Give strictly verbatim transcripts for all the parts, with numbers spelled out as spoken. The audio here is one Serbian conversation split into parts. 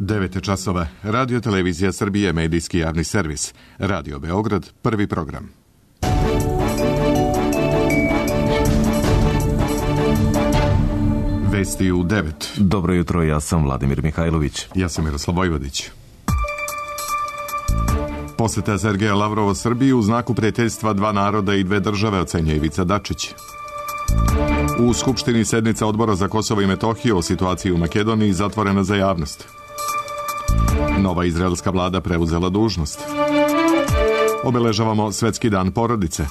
devet časova. Radio Televizija Srbije, medijski javni servis. Radio Beograd, prvi program. Vesti u devet. Dobro jutro, ja sam Vladimir Mihajlović. Ja sam Miroslav Vojvodić. Poseta Sergeja Lavrova Srbiji u znaku prijateljstva dva naroda i dve države, ocenjuje Ivica Dačić. U Skupštini sednica Odbora za Kosovo i Metohiju o situaciji u Makedoniji zatvorena za javnost. Nova izraelska vlada preuzela dužnost. Obeležavamo Svetski dan porodice.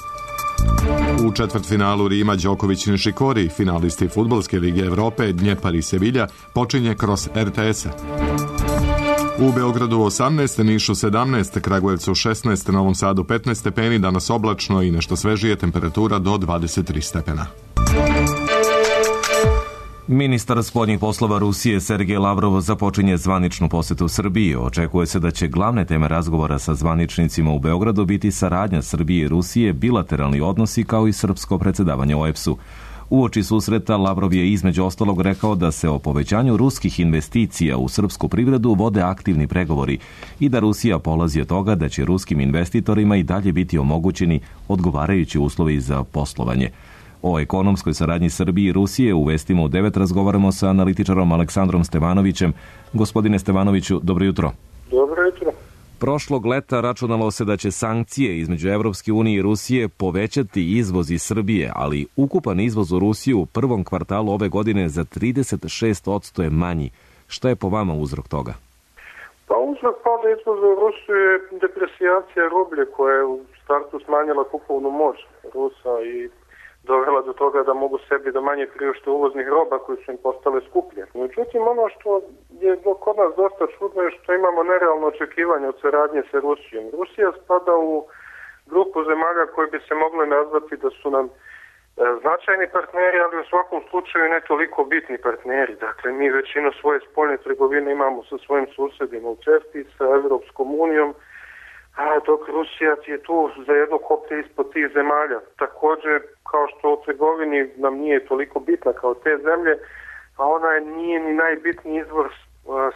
U četvrtfinalu Rima Đoković Nišikori, finalisti Fudbalske lige Evrope, Dnjepar i Sevilja, počinje kroz er te es-a. U Beogradu osamnaest, Nišu sedamnaest, Kragujevcu šesnaest, Novom Sadu petnaest stepeni, danas oblačno i nešto svežije, temperatura do dvadeset tri stepena. Ministar spoljnih poslova Rusije Sergej Lavrov započinje zvaničnu posetu Srbiji. Očekuje se da će glavne teme razgovora sa zvaničnicima u Beogradu biti saradnja Srbije i Rusije, bilateralni odnosi kao i srpsko predsjedavanje o e pe es-u. Uoči susreta Lavrov je između ostalog rekao da se o povećanju ruskih investicija u srpsku privredu vode aktivni pregovori i da Rusija polazi od toga da će ruskim investitorima i dalje biti omogućeni odgovarajući uslovi za poslovanje. O ekonomskoj saradnji Srbije i Rusije u vestima u devet razgovaramo sa analitičarom Aleksandrom Stevanovićem. Gospodine Stevanoviću, dobro jutro. Dobro jutro. Prošlog leta računalo se da će sankcije između Evropske unije i Rusije povećati izvoz iz Srbije, ali ukupan izvoz u Rusiju u prvom kvartalu ove godine za trideset šest posto je manji. Šta je po vama uzrok toga? Pa uzrok pada izvoza u Rusiju je depresijacija rublje koja je u startu smanjila kupovnu moć Rusa i dovela do toga da mogu sebi da manje priušte uvoznih roba koji su im postale skuplje. Međutim, ono što je kod nas dosta čudno je što imamo nerealno očekivanje od saradnje sa Rusijom. Rusija spada u grupu zemalja koji bi se mogli nazvati da su nam e, značajni partneri, ali u svakom slučaju ne toliko bitni partneri. Dakle, mi većinu svoje spoljne trgovine imamo sa svojim susedima u CEFTA-i, sa Evropskom unijom, a dok Rusija je tu za jedno koplje ispod tih zemalja. Također, kao što u trgovini nam nije toliko bitna kao te zemlje, a ona nije ni najbitniji izvor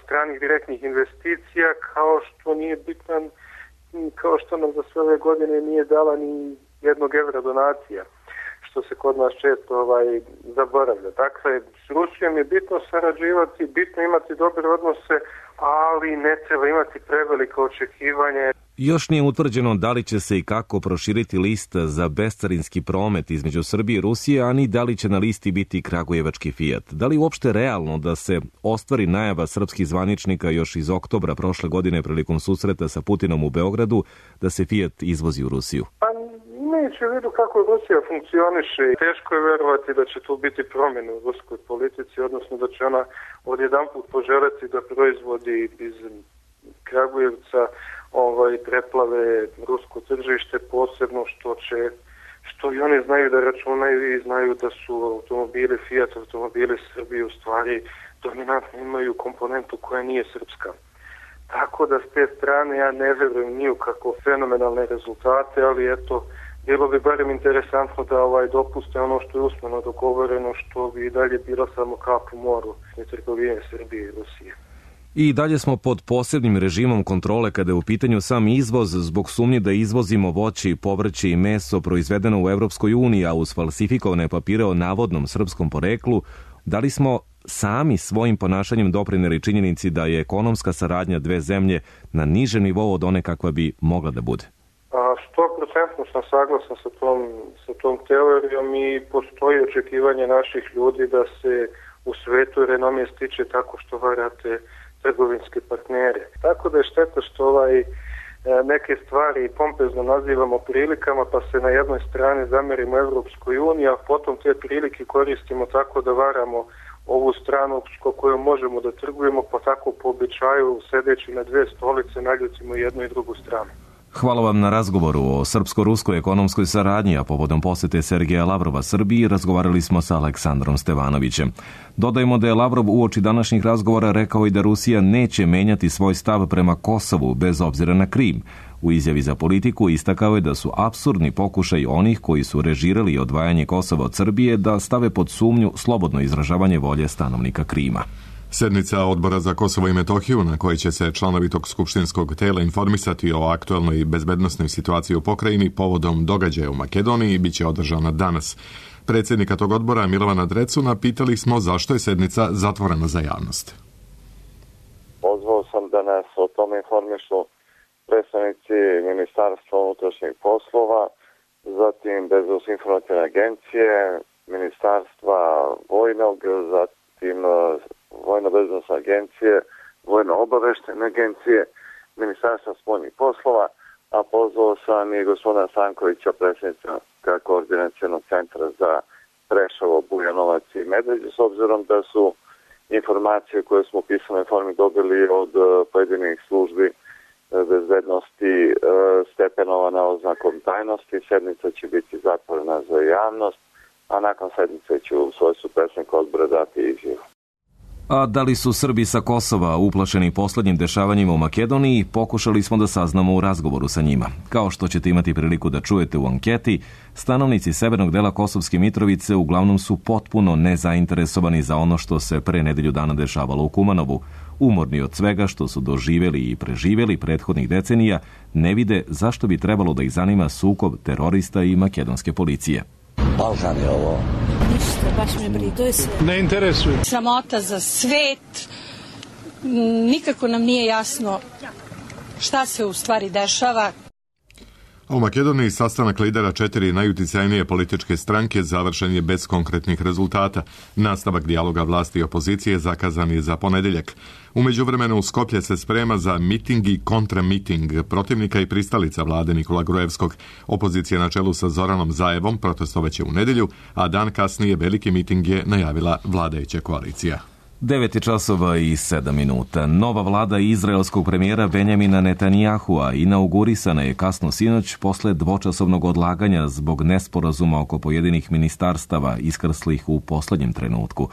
stranih direktnih investicija, kao što nije bitan, kao što nam za sve ove godine nije dala ni jednog evra donacija, što se kod nas često ovaj, zaboravlja. Dakle, s Rusijom je bitno sarađivati, bitno imati dobre odnose, ali ne treba imati prevelike očekivanje. Još nije utvrđeno da li će se i kako proširiti lista za bescarinski promet između Srbije i Rusije, a ni da li će na listi biti kragujevački Fiat. Da li uopšte realno da se ostvari najava srpskih zvaničnika još iz oktobra prošle godine prilikom susreta sa Putinom u Beogradu da se Fiat izvozi u Rusiju? Pa imajući u vidu kako Rusija funkcioniše, teško je verovati da će tu biti promjene u ruskoj politici, odnosno da će ona odjedanput poželjeti da proizvodi iz Kragujevca ovaj, preplave rusko tržište, posebno što će, što i oni znaju da računaju i znaju da su automobili Fiat, automobili Srbije u stvari dominantno imaju komponentu koja nije srpska. Tako da s te strane ja ne verujem ni u kako fenomenalne rezultate, ali eto, bilo bi barem interesantno da ovaj dopuste ono što je usmeno dogovoreno, što bi i dalje bilo samo kap u moru i trgovine Srbije i Rusije. I dalje smo pod posebnim režimom kontrole kada je u pitanju sam izvoz zbog sumnje da izvozimo voće, povrće i meso proizvedeno u Evropskoj uniji, a uz falsifikovane papire o navodnom srpskom poreklu. Da li smo sami svojim ponašanjem doprineli činjenici da je ekonomska saradnja dve zemlje na nižem nivou od one kakva bi mogla da bude? sto procentno sam saglasan sa tom, sa tom teorijom i postoji očekivanje naših ljudi da se u svetu renomije stiče tako što varate trgovinske partnere. Tako da je šteta što ovaj, neke stvari pompezno nazivamo prilikama, pa se na jednoj strani zamerimo Evropskoj uniji, a potom te prilike koristimo tako da varamo ovu stranu s kojom možemo da trgujemo, pa tako po običaju sedeći na dve stolice naljutimo jednu i drugu stranu. Hvala vam na razgovoru o srpsko-ruskoj ekonomskoj saradnji, a povodom posete Sergeja Lavrova Srbiji razgovarali smo sa Aleksandrom Stevanovićem. Dodajmo da je Lavrov uoči današnjih razgovora rekao i da Rusija neće menjati svoj stav prema Kosovu bez obzira na Krim. U izjavi za politiku istakao je da su apsurdni pokušaj onih koji su režirali odvajanje Kosova od Srbije da stave pod sumnju slobodno izražavanje volje stanovnika Krima. Sednica Odbora za Kosovo i Metohiju, na kojoj će se članovi tog skupštinskog tela informisati o aktualnoj bezbednosnoj situaciji u pokrajini povodom događaja u Makedoniji, bit će održana danas. Predsjednika tog odbora, Milovana Drecuna, pitali smo zašto je sednica zatvorena za javnost. Pozvao sam da nas o tome informišu predstavnici Ministarstva unutrašnjih poslova, zatim Bezbednosne informativne agencije, Ministarstva vojnog, zatim Vojno-bezbednosne agencije, Vojno-obaveštene agencije, Ministarstva spoljnih poslova, a pozvao sam i gospodina Stankovića, predsjednika Koordinacionog centra za Preševo, Bujanovac i Medveđu, s obzirom da su informacije koje smo u pisanoj formi dobili od pojedinih službi bezbednosti stepenovana oznakom tajnosti. Sednica će biti zatvorena za javnost, a nakon sednice ću u svojstvu predsjednika odbora dati izjavu. A da li su Srbi sa Kosova uplašeni poslednjim dešavanjima u Makedoniji, pokušali smo da saznamo u razgovoru sa njima. Kao što ćete imati priliku da čujete u anketi, stanovnici severnog dela Kosovske Mitrovice uglavnom su potpuno nezainteresovani za ono što se pre nedelju dana dešavalo u Kumanovu. Umorni od svega što su doživeli i preživeli prethodnih decenija, ne vide zašto bi trebalo da ih zanima sukob terorista i makedonske policije. Balkan je ovo. Ništa, baš me briga, to je sve. Ne interesuje. Sramota za svet. Nikako nam nije jasno šta se u stvari dešava. U Makedoniji sastanak lidera četiri najuticajnije političke stranke završen je bez konkretnih rezultata. Nastavak dijaloga vlasti i opozicije zakazan je za ponedeljak. U međuvremenu Skoplje se sprema za miting i kontramiting protivnika i pristalica vlade Nikola Gruevskog. Opozicija na čelu sa Zoranom Zaevom protestovaće u nedelju, a dan kasnije veliki miting je najavila vladajuća koalicija. devet časova i sedam minuta. Nova vlada izraelskog premijera Benjamina Netanjahua inaugurisana je kasno sinoć posle dvočasovnog odlaganja zbog nesporazuma oko pojedinih ministarstava iskrslih u poslednjem trenutku.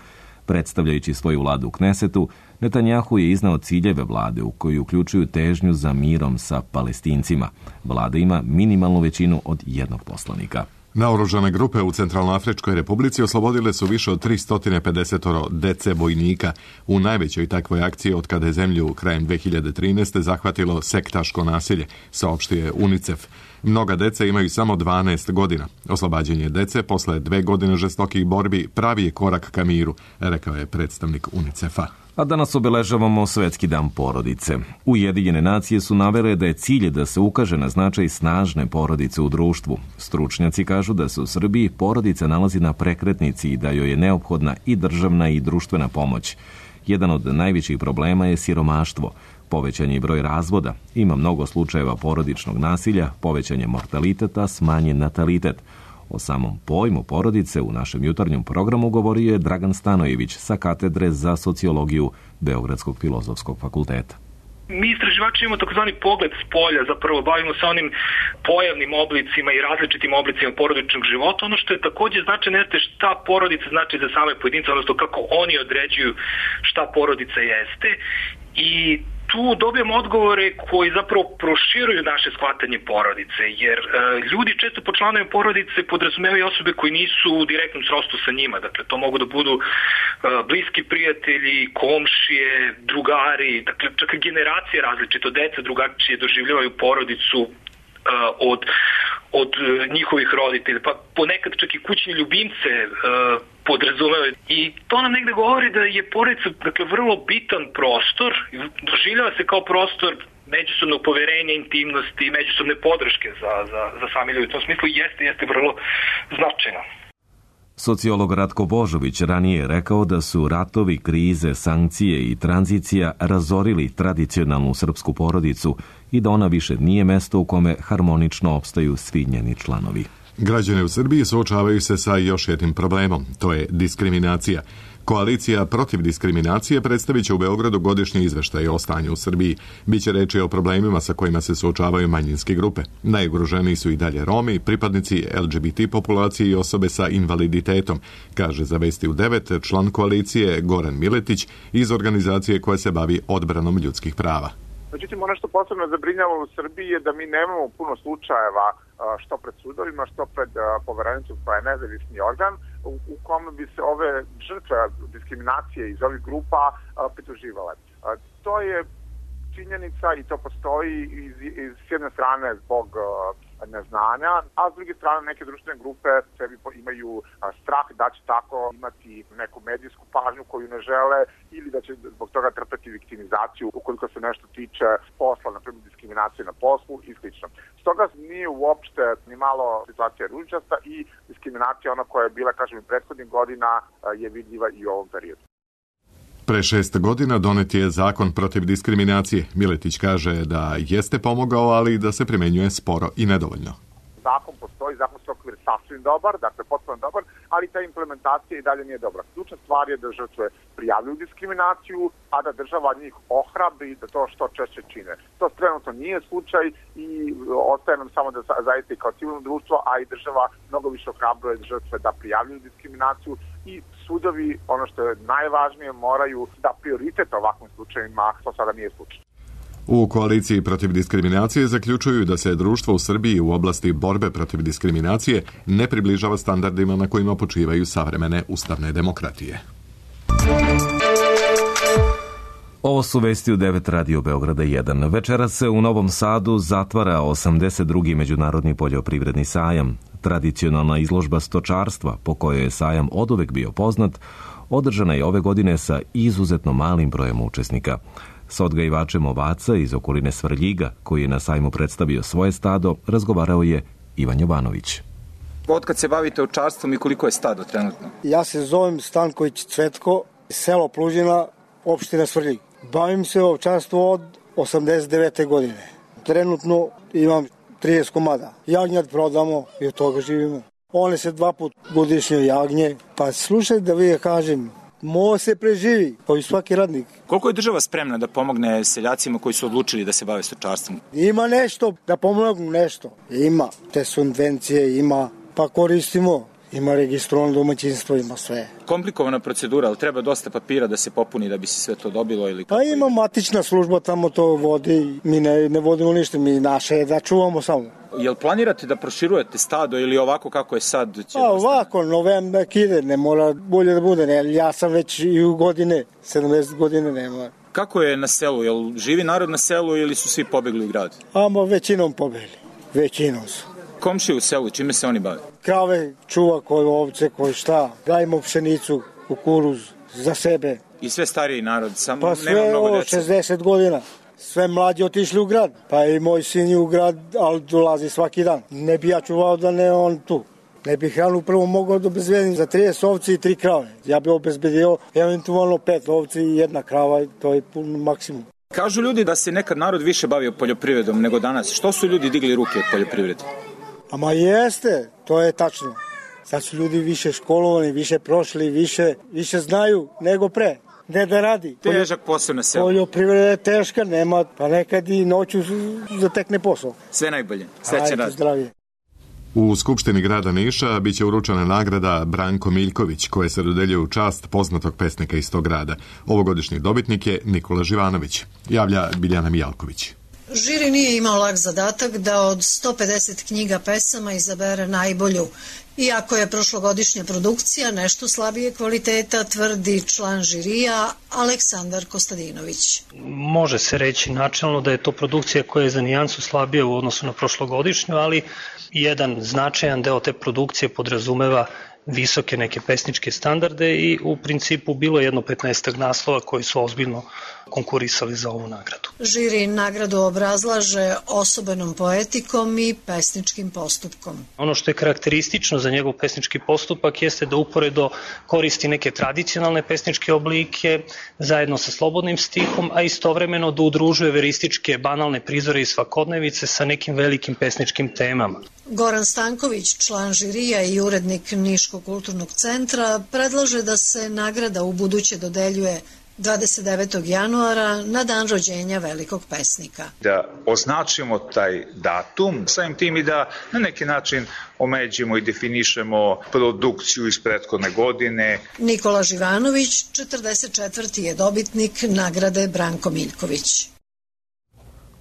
Predstavljajući svoju vladu u Knesetu, Netanjahu je iznao ciljeve vlade u koji uključuju težnju za mirom sa Palestincima. Vlada ima minimalnu većinu od jednog poslanika. Naoružane grupe u Centralnoafričkoj Republici oslobodile su više od tristo pedeset dece vojnika u najvećoj takvoj akciji od kada je zemlju krajem dve hiljade trinaeste zahvatilo sektaško nasilje, saopštio je UNICEF. Mnoga deca imaju samo dvanaest godina. Oslobađanje dece posle dve godine žestokih borbi pravi je korak ka miru, rekao je predstavnik UNICEF-a. A danas obeležavamo Svetski dan porodice. Ujedinjene nacije su navele da je cilj da se ukaže na značaj snažne porodice u društvu. Stručnjaci kažu da se u Srbiji porodica nalazi na prekretnici i da joj je neophodna i državna i društvena pomoć. Jedan od najvećih problema je siromaštvo. Povećan je broj razvoda, ima mnogo slučajeva porodičnog nasilja, povećan je mortaliteta, smanjen natalitet. O samom pojmu porodice u našem jutarnjem programu govorio je Dragan Stanojević sa katedre za sociologiju Beogradskog filozofskog fakulteta. Mi istraživači imamo takozvani pogled s polja, zapravo bavimo se onim pojavnim oblicima i različitim oblicima porodičnog života. Ono što je također značajno jeste šta porodica znači za same pojedince, odnosno kako oni određuju šta porodica jeste. I tu dobijemo odgovore koji zapravo proširuju naše shvatanje porodice, jer e, ljudi često po članovima porodice podrazumevaju osobe koji nisu u direktnom srodstvu sa njima. Dakle, to mogu da budu e, bliski prijatelji, komšije, drugari, dakle, čak i generacije različito, deca drugačije doživljavaju porodicu e, od, od njihovih roditelja, pa ponekad čak i kućni ljubimce e, podrazumevaju. I to nam negde govori da je porodica, dakle, vrlo bitan prostor, doživljava se kao prostor međusobnog poverenja, intimnosti, međusobne podrške za, za, za sami ljudi. U tom smislu jeste, jeste vrlo značajno. Sociolog Ratko Božović ranije je rekao da su ratovi, krize, sankcije i tranzicija razorili tradicionalnu srpsku porodicu i da ona više nije mesto u kome harmonično opstaju svi njeni članovi. Građani u Srbiji suočavaju se sa još jednim problemom, to je diskriminacija. Koalicija protiv diskriminacije predstavit će u Beogradu godišnji izveštaj o stanju u Srbiji. Biće reči o problemima sa kojima se suočavaju manjinske grupe. Najugroženiji su i dalje Romi, pripadnici L G B T populacije i osobe sa invaliditetom, kaže za Vesti u devet član koalicije Goran Miletić iz organizacije koja se bavi odbranom ljudskih prava. Međutim, ono što posebno zabrinjava u Srbiji je da mi nemamo puno slučajeva što pred sudovima, što pred Poverenicom koja je nezavisni organ, u, u kome bi se ove žrtve diskriminacije iz ovih grupa a, pridruživale. A, to je činjenica i to postoji iz, iz s jedne strane zbog a, neznanja, a s druge strane neke društvene grupe sebi imaju a, strah da će tako imati neku medijsku pažnju koju ne žele ili da će zbog toga trpeti viktimizaciju ukoliko se nešto tiče posla, na primjer diskriminacije na poslu i slično. Stoga nije uopšte ni malo situacija ružičasta i diskriminacija ona koja je bila, kažem, i prethodnih godina a, je vidljiva i u ovom periodu. Pre šest godina donet je zakon protiv diskriminacije. Miletić kaže da jeste pomogao, ali da se primenjuje sporo i nedovoljno. Zakon postoji, zakonski okvir sasvim dobar, dakle potpuno dobar, ali ta implementacija i dalje nije dobra. Ključna stvar je da žrtve prijavljuju diskriminaciju, a da država njih ohrabri da to što češće čine. To trenutno nije slučaj i ostaje nam samo da zaista i kao civilno društvo, a i država mnogo više ohrabruje žrtve da prijavljuju diskriminaciju i sudovi, ono što je najvažnije, moraju da prioritet ovakvim slučajima, to sada nije slučaj. U koaliciji protiv diskriminacije zaključuju da se društvo u Srbiji u oblasti borbe protiv diskriminacije ne približava standardima na kojima počivaju savremene ustavne demokratije. Ovo su vesti u devet Radio Beograda jedan. Večeras se u Novom Sadu zatvara osamdeset drugi međunarodni poljoprivredni sajam. Tradicionalna izložba stočarstva, po kojoj je sajam oduvek bio poznat, održana je ove godine sa izuzetno malim brojem učesnika. Sa odgajivačem ovaca iz okoline Svrljiga, koji je na sajmu predstavio svoje stado, razgovarao je Ivan Jovanović. Otkad se bavite ovčarstvom i koliko je stado trenutno? Ja se zovem Stanković Cvetko, selo Plužina, opština Svrljig. Bavim se ovčarstvom od osamdeset devete godine. Trenutno imam trideset komada. Jagnjad prodamo i od toga živimo. One se dva put godišnje jagnje. Pa slušaj da vi je kažem, mo se preživi, pa i svaki radnik. Koliko je država spremna da pomogne seljacima koji su odlučili da se bave stočarstvom? Ima nešto, da pomognu nešto. Ima te subvencije, ima, pa koristimo. Ima registrovano domaćinstvo, ima sve. Komplikovana procedura, ali treba dosta papira da se popuni da bi se sve to dobilo? Ili pa ima matična služba, tamo to vodi, mi ne, ne vodimo ništa, mi naše je da čuvamo samo. Jel planirate da proširujete stado ili ovako kako je sad? Će pa ovako, novembak ide, ne mora bolje da bude, ne, ja sam već i u godine, sedamdeset godine nema. Kako je na selu, jel živi narod na selu ili su svi pobegli u grad? Ama većinom pobegli, većinom su. Komšije u selu, čime se oni bave? Krave čuva, koje ovce, koje šta. Gajimo pšenicu, kukuruz za sebe. I sve stariji narod, samo pa nema mnogo djece. Pa sve šezdeset godina. Sve mlađi otišli u grad. Pa i moj sin je u grad, ali dolazi svaki dan. Ne bi ja čuvao da ne on tu. Ne bi hranu prvo mogao da obezbedim za trideset ovci i tri krave. Ja bi obezbedio eventualno pet ovci i jedna krava, to je pun maksimum. Kažu ljudi da se nekad narod više bavio poljoprivredom nego danas. Što su ljudi digli ruke od poljoprivrede? Ama jeste, to je tačno. Sad su ljudi više školovani, više prošli, više, više znaju nego pre. Ne da radi. Težak posao na selu. Poljoprivreda je teška, nema, pa nekad i noću zatekne posao. Sve najbolje. Srećan rad. Zdravije. U Skupštini grada Niša biće uručena nagrada Branko Miljković, koja se dodeljuje u čast poznatog pesnika iz tog grada. Ovogodišnji dobitnik je Nikola Živanović, javlja Biljana Mijalković. Žiri nije imao lak zadatak da od sto pedeset knjiga pesama izabere najbolju. Iako je prošlogodišnja produkcija nešto slabije kvaliteta, tvrdi član žirija Aleksandar Kostadinović. Može se reći načelno da je to produkcija koja je za nijansu slabija u odnosu na prošlogodišnju, ali jedan značajan deo te produkcije podrazumeva visoke neke pesničke standarde i u principu bilo je jedno petnaestak naslova koji su ozbiljno konkurisali za ovu nagradu. Žiri nagradu obrazlaže osobenom poetikom i pesničkim postupkom. Ono što je karakteristično za njegov pesnički postupak jeste da uporedo koristi neke tradicionalne pesničke oblike zajedno sa slobodnim stihom, a istovremeno da udružuje verističke banalne prizore i svakodnevice sa nekim velikim pesničkim temama. Goran Stanković, član žirija i urednik Niškog kulturnog centra, predlaže da se nagrada u buduće dodeljuje dvadeset devetog januara na dan rođenja velikog pesnika. Da označimo taj datum, samim tim i da na neki način omeđimo i definišemo produkciju iz prethodne godine. Nikola Živanović, četrdeset četvrti je dobitnik nagrade Branko Miljković.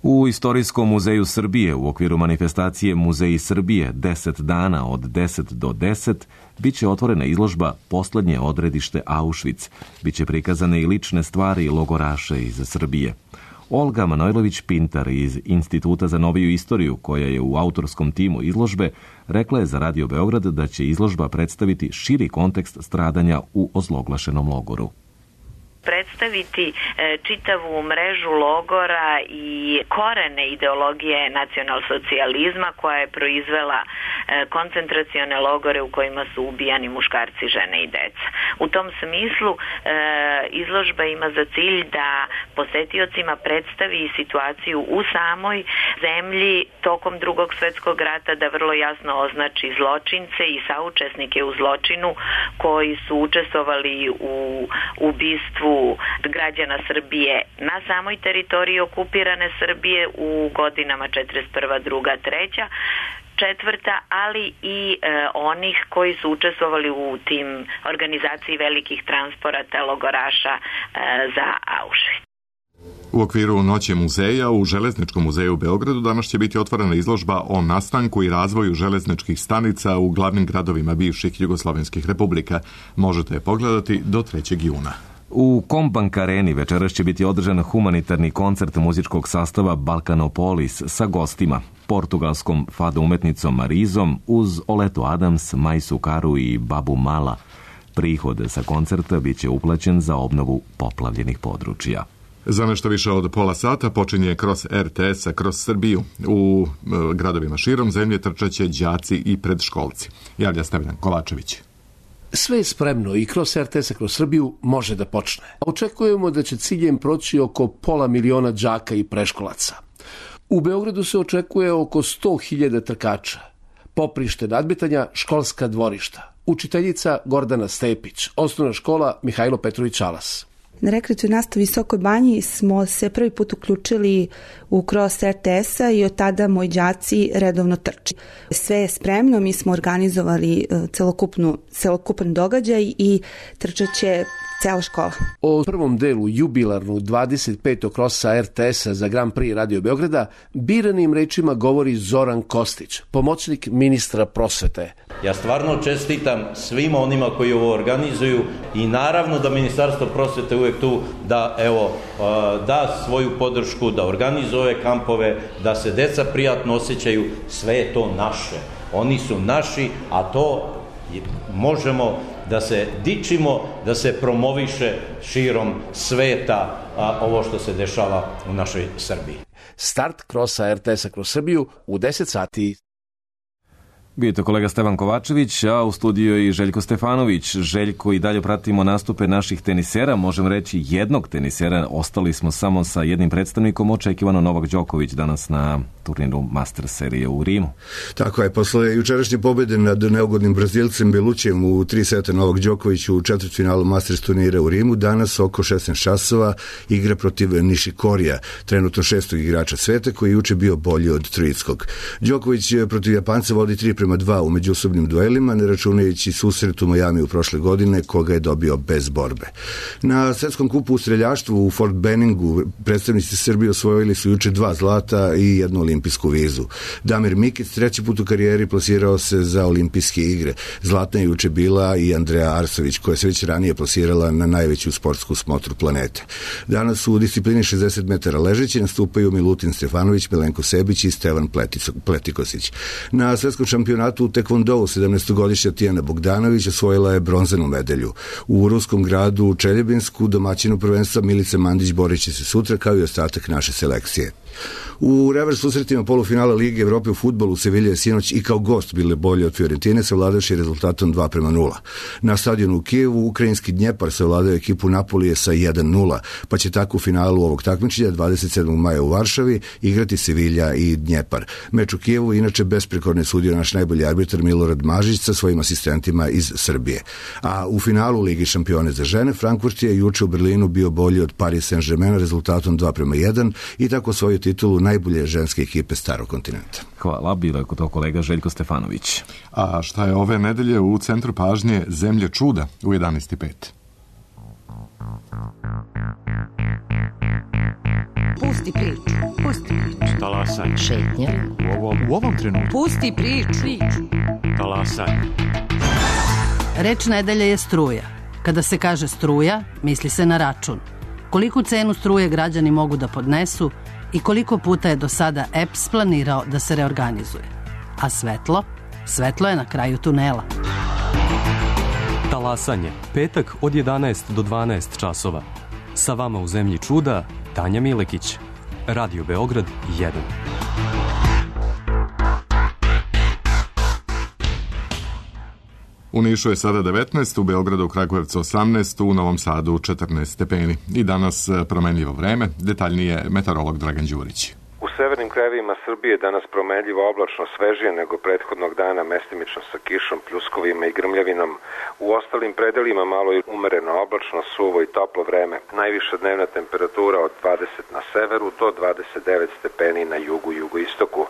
U Istorijskom muzeju Srbije u okviru manifestacije Muzeji Srbije deset dana od deset do deset biće otvorena izložba Poslednje odredište Auschwitz. Biće prikazane i lične stvari logoraša iz Srbije. Olga Manojlović-Pintar iz Instituta za noviju istoriju, koja je u autorskom timu izložbe, rekla je za Radio Beograd da će izložba predstaviti širi kontekst stradanja u ozloglašenom logoru. Predstaviti e, čitavu mrežu logora i korene ideologije nacionalsocijalizma koja je proizvela e, koncentracione logore u kojima su ubijani muškarci, žene i deca. U tom smislu e, izložba ima za cilj da posetiocima predstavi situaciju u samoj zemlji tokom Drugog svetskog rata, da vrlo jasno označi zločince i saučesnike u zločinu koji su učestvovali u ubistvu građana Srbije na samoj teritoriji okupirane Srbije u godinama četrdeset prva, druga, treća, četvrta, ali i e, onih koji su učestvovali u tim organizaciji velikih transporata logoraša e, za Auschwitz. U okviru Noći muzeja u Železničkom muzeju u Beogradu danas će biti otvorena izložba o nastanku i razvoju železničkih stanica u glavnim gradovima bivših jugoslovenskih republika. Možete je pogledati do trećeg juna. U Kombank Areni večeras će biti održan humanitarni koncert muzičkog sastava Balkanopolis sa gostima, portugalskom fado umetnicom Marizom uz Oletu Adams, Majsu Karu i Babu Mala. Prihod sa koncerta biće uplaćen za obnovu poplavljenih područja. Za nešto više od pola sata počinje kroz R T S-a kroz Srbiju. U e, gradovima širom zemlje trčaće đaci i predškolci. Javlja Stevan Kovačević. Sve je spremno i kroz R T S-a kroz Srbiju može da počne. Očekujemo da će ciljem proći oko pola miliona đaka i preškolaca. U Beogradu se očekuje oko sto hiljada trkača. Poprište nadmetanja, školska dvorišta. Učiteljica Gordana Stepić, osnovna škola Mihajlo Petrović Alas. Na rekreativnoj nastavi Visokoj Banji smo se prvi put uključili u cross R T S-a i od tada moji đaci redovno trče. Sve je spremno, mi smo organizovali celokupnu, celokupan događaj i trčeće cela škola. O prvom delu jubilarnog dvadeset petog krosa R T S-a za Grand Prix Radio Beograda biranim rečima govori Zoran Kostić, pomoćnik ministra prosvete. Ja stvarno čestitam svima onima koji ovo organizuju i naravno da Ministarstvo prosvete uvek tu da evo da svoju podršku, da organizuje ove kampove, da se deca prijatno osjećaju, sve je to naše. Oni su naši, a to možemo da se dičimo, da se promoviše širom sveta a, ovo što se dešava u našoj Srbiji. Start krosa R T S-a kroz Srbiju u deset sati. Bio to kolega Stevan Kovačević, a u studiju je i Željko Stefanović. Željko, i dalje pratimo nastupe naših tenisera, možem reći jednog tenisera. Ostali smo samo sa jednim predstavnikom, očekivano Novak Đoković danas na turniru Master serije u Rimu. Tako je, posle jučerašnje pobjede nad neugodnim Brazilcem Belućem u tri seta Novak Đoković u četvrtfinalu Masters turnira u Rimu, danas oko šesnaest časova igra protiv Nishikorija, trenutno šestog igrača sveta, koji je juče bio bolji od Troickog. Đoković protiv Japanca vodi tri prema dva u međusobnim duelima, ne računajući susret u Majamiju prošle godine, koga je dobio bez borbe. Na svetskom kupu u streljaštvu u Fort Benningu predstavnici Srbije osvojili su juče dva zlata i jednu olimpijsku vizu. Damir Mikić treći put u karijeri plasirao se za olimpijske igre. Zlatna je juče bila i Andreja Arsović, koja se već ranije plasirala na najveću sportsku smotru planete. Danas u disciplini šezdeset metara ležeći nastupaju Milutin Stefanović, Milenko Sebić i Stevan Pletikosić. Na svetskom šampionatu u tekvondou sedamnaestogodišnja Tijana Bogdanović osvojila je bronzanu medalju. U ruskom gradu u Čeljebinsku domaćinu prvenstva Milica Mandić borit će se sutra kao i ostatak naše selekcije. U revers susretima polufinala Lige Evrope u fudbalu Sevilja je sinoć i kao gost bile bolje od Fiorentine, savladavši rezultatom dva prema nula. Na stadionu u Kijevu ukrajinski Dnjepar savladao ekipu Napolije sa jedan nula, pa će tako u finalu ovog takmičenja dvadeset sedmog maja u Varšavi igrati Sevilja i Dnjepar. Meč u Kijevu inače besprekorne sudio naš najbolji arbitar Milorad Mažić sa svojim asistentima iz Srbije. A u finalu Ligi šampione za žene Frankfurt je juče u Berlinu bio bolji od Paris Saint-Germaina rezultatom dva prema jedan i tako svoju titulu najbolje ženske ekipe Starog kontinenta. Hvala, bilo je kod to kolega Željko Stefanović. A šta je ove nedelje u centru pažnje Zemlje čuda u jedanaest i pet? Pusti priču, Pusti priču. Talasaj. Šetnja. U ovom, u ovom trenutku. Pusti priču. Talasaj. Reč nedelje je struja. Kada se kaže struja, misli se na račun. Koliku cenu struje građani mogu da podnesu i koliko puta je do sada E P S planirao da se reorganizuje. A svetlo? Svetlo je na kraju tunela. Talasanje. Petak od jedanaest do dvanaest časova. Sa vama u Zemlji čuda, Tanja Milekić. Radio Beograd jedan. U Nišu je sada devetnaest, u Beogradu, Kragujevcu osamnaest, u Novom Sadu četrnaest stepeni. I danas promenljivo vreme, detaljnije meteorolog Dragan Đurić. U severnim krajevima Srbije danas promenljivo oblačno, svežije nego prethodnog dana, mestimično sa kišom, pljuskovima i grmljavinom. U ostalim predelima malo je umereno oblačno, suvo i toplo vreme. Najviša dnevna temperatura od dvadeset na severu do dvadeset devet stepeni na jugu i jugoistoku.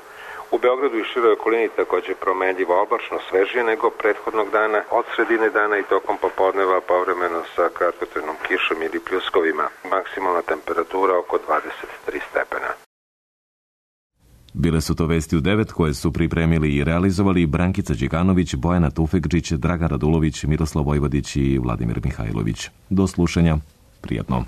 U Beogradu i široj okolini takođe promenljivo oblačno, svežije nego prethodnog dana, od sredine dana i tokom popodneva povremeno sa kratkotrajnom kišom ili pljuskovima. Maksimalna temperatura oko dvadeset tri stepena. Bile su to vesti u devet koje su pripremili i realizovali Brankica Điganović, Bojana Tufekđić, Dragan Radulović, Miroslav Vojvodić i Vladimir Mihajlović. Do slušanja. Prijatno.